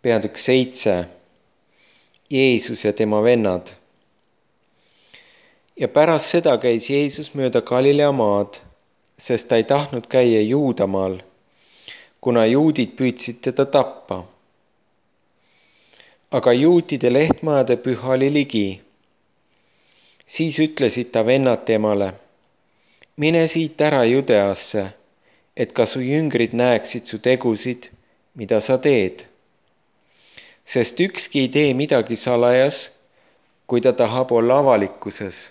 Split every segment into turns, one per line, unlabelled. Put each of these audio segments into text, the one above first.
Peatükk 7. Jeesus ja tema vennad. Ja pärast seda käis Jeesus mööda Galilea maad, sest ta ei tahtnud käia Juudamaal, kuna juudid püüdsid teda tappa. Aga juutide lehtmajade püha oli ligi. Siis ütlesid ta vennad temale: mine siit ära Judeasse, et ka su jüngrid näeksid su tegusid, mida sa teed. Sest ükski ei tee midagi salajas, kui ta tahab olla avalikkuses.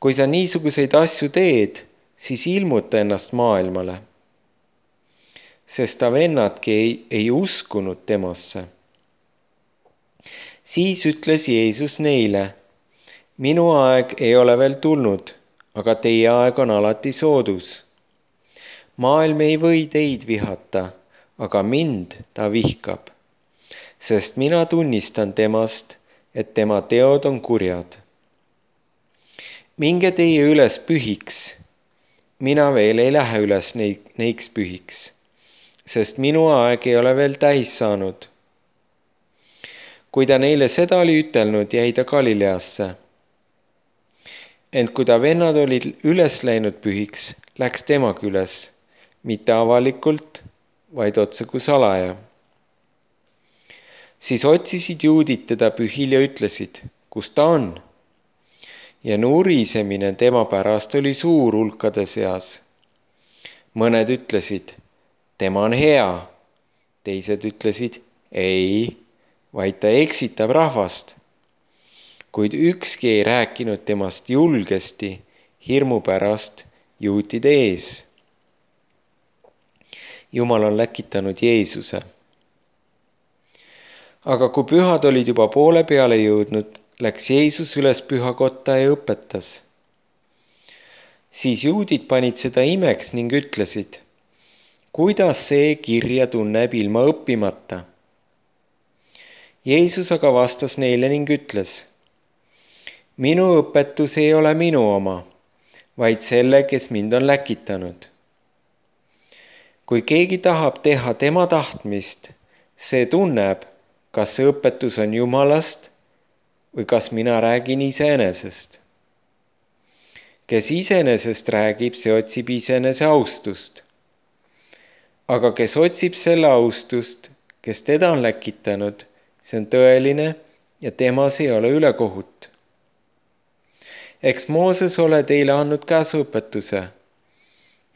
Kui sa niisuguseid asju teed, siis ilmuta ennast maailmale. Sest ta vennadki ei uskunud temasse. Siis ütles Jeesus neile: minu aeg ei ole veel tulnud, aga teie aeg on alati soodus. Maailm ei või teid vihata, aga mind ta vihkab, sest mina tunnistan temast, et tema teod on kurjad. Minge teie üles pühiks, mina veel ei lähe üles neiks pühiks, sest minu aeg ei ole veel täis saanud. Kui ta neile seda oli ütelnud, jäi ta Galileasse. Ent kui ta vennad olid üles läinud pühiks, läks temagi üles, mitte avalikult, vaid otseku salaja. Siis otsisid juudid teda pühil ja ütlesid: kus ta on? Ja nurisemine tema pärast oli suur hulkade seas. Mõned ütlesid: tema on hea. Teised ütlesid: ei, vaid ta eksitab rahvast. Kuid ükski ei rääkinud temast julgesti hirmu pärast juutide ees. Jumal on läkitanud Jeesuse. Aga kui pühad olid juba poole peale jõudnud, läks Jeesus üles pühakotta ja õpetas. Siis juudid panid seda imeks ning ütlesid: kuidas see kirja tunneb ilma õppimata? Jeesus aga vastas neile ning ütles: minu õpetus ei ole minu oma, vaid selle, kes mind on läkitanud. Kui keegi tahab teha tema tahtmist, see tunneb, kas see õpetus on Jumalast või kas mina räägin iseenesest. Kes iseenesest räägib, see otsib iseenese austust. Aga kes otsib selle austust, kes teda on läkitanud, see on tõeline ja temas ei ole ülekohut. Eks Mooses ole teile andnud käsuõpetuse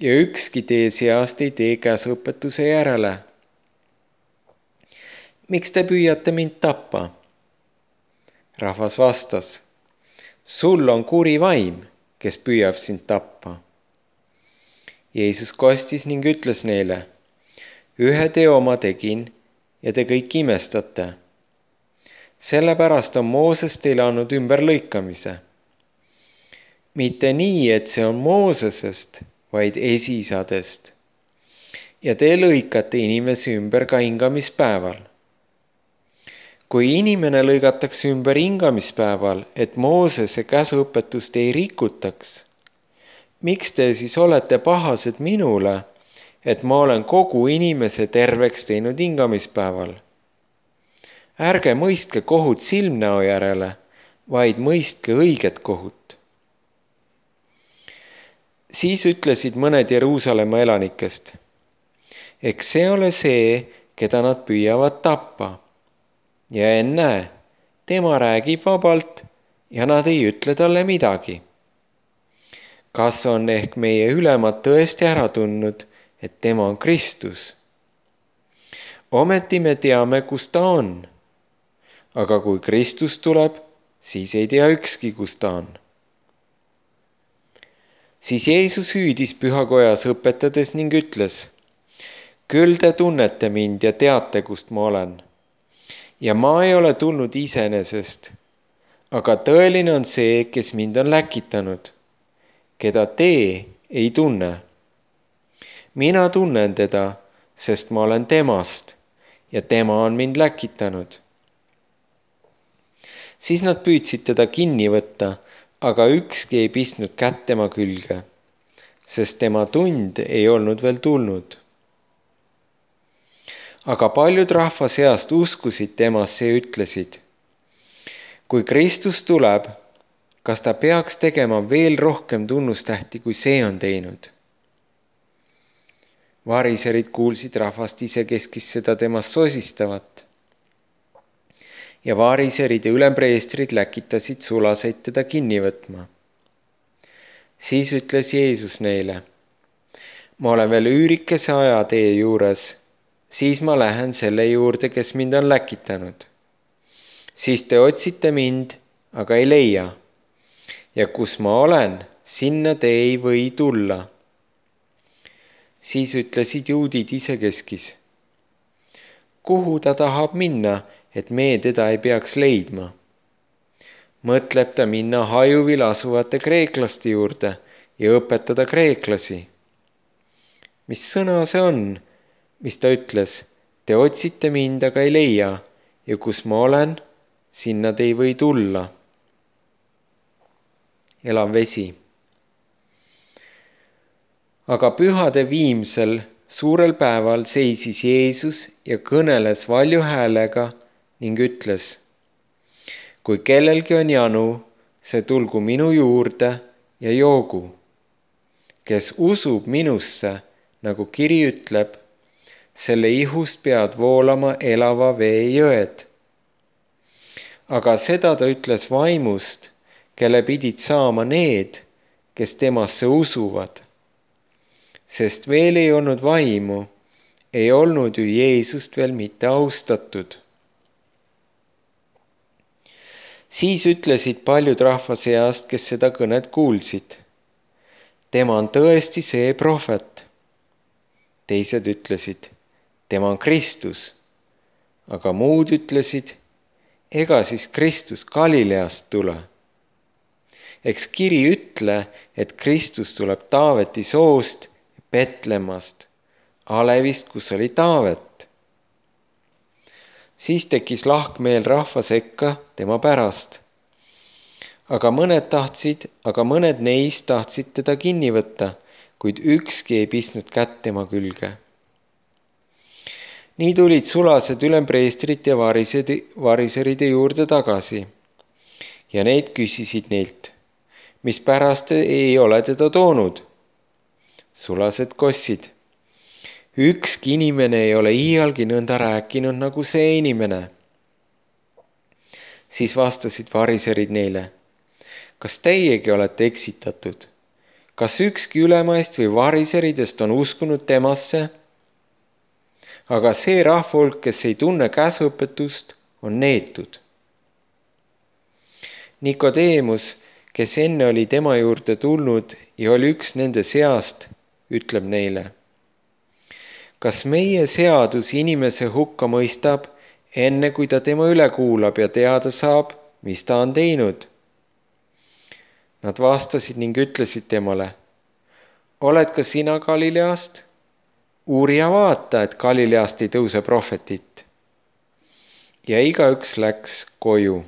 ja ükski teie seast ei tee käsuõpetuse järele. Miks te püüate mind tappa? Rahvas vastas: sul on kuri vaim, kes püüab sind tappa. Jeesus kostis ning ütles neile: ühe teo ma tegin ja te kõik imestate. Sellepärast on Mooses teile andnud ümberlõikamise. Mitte nii, et see on Moosesest, vaid esisadest. Ja te lõikate inimesi ümber ka hingamispäeval. Kui inimene lõigatakse ümber hingamispäeval, et Moosese käsuõpetust ei rikutaks, miks te siis olete pahased minule, et ma olen kogu inimese terveks teinud hingamispäeval? Ärge mõistke kohut silmnäo järele, vaid mõistke õiget kohut. Siis ütlesid mõned Jeruusalemma elanikest: eks see ole see, keda nad püüavad tappa. Ja ennäe, tema räägib vabalt ja nad ei ütle talle midagi. Kas on ehk meie ülemad tõesti ära tundnud, et tema on Kristus? Ometi me teame, kus ta on. Aga kui Kristus tuleb, siis ei tea ükski, kus ta on. Siis Jeesus hüüdis pühakojas õpetades ning ütles: küll te tunnete mind ja teate, kust ma olen. Ja ma ei ole tulnud iseenesest, aga tõeline on see, kes mind on läkitanud, keda te ei tunne. Mina tunnen teda, sest ma olen temast ja tema on mind läkitanud. Siis nad püüdsid teda kinni võtta, aga ükski ei pistnud kätt tema külge, sest tema tund ei olnud veel tulnud. Aga paljud rahva seast uskusid temasse ja ütlesid: kui Kristus tuleb, kas ta peaks tegema veel rohkem tunnustähti, kui see on teinud? Variserid kuulsid rahvast isekeskis seda temast sosistavat. Ja variserid ja ülempreestrid läkitasid sulaseid teda kinni võtma. Siis ütles Jeesus neile: ma olen veel üürikese aja teie juures, siis ma lähen selle juurde, kes mind on läkitanud. Siis te otsite mind, aga ei leia. Ja kus ma olen, sinna te ei või tulla. Siis ütlesid juudid isekeskis: kuhu ta tahab minna, et me teda ei peaks leidma? Mõtleb ta minna hajuvil asuvate kreeklaste juurde ja õpetada kreeklasi? Mis sõna see on, mis ta ütles: te otsite mind, aga ei leia, ja kus ma olen, sinna te ei või tulla. Elav vesi. Aga pühade viimsel suurel päeval seisis Jeesus ja kõneles valju häälega ning ütles: kui kellelgi on janu, see tulgu minu juurde ja joogu. Kes usub minusse, nagu kiri ütleb, selle ihust peavad voolama elava vee jõed. Aga seda ta ütles vaimust, kelle pidid saama need, kes temasse usuvad. Sest veel ei olnud vaimu, ei olnud ju Jeesust veel mitte austatud. Siis ütlesid paljud rahva seast, kes seda kõnet kuulsid: tema on tõesti see prohvet. Teised ütlesid: tema on Kristus. Aga muud ütlesid: ega siis Kristus Galileast tule. Eks kiri ütle, et Kristus tuleb Taaveti soost, Betlemmast, alevist, kus oli Taavet. Siis tekkis lahkmeel rahva sekka tema pärast. Aga mõned neist tahtsid teda kinni võtta, kuid ükski ei pistnud kätt tema külge. Nii tulid sulased ülempreestrit ja variseride juurde tagasi. Ja need küsisid neilt: mispärast ei ole teda toonud? Sulased kossid: ükski inimene ei ole iialgi nõnda rääkinud nagu see inimene. Siis vastasid variserid neile: kas teiegi olete eksitatud? Kas ükski ülemaist või variseridest on uskunud temasse? Aga see rahvahulk, kes ei tunne käsuõpetust, on neetud. Nikodeemus, kes enne oli tema juurde tulnud ja oli üks nende seast, ütleb neile: kas meie seadus inimese hukka mõistab, enne kui ta tema üle kuulab ja teada saab, mis ta on teinud? Nad vastasid ning ütlesid temale: oled ka sina Galileast? Uuri ja vaata, et Galileast ei tõuse prohvetit. Ja igaüks läks koju.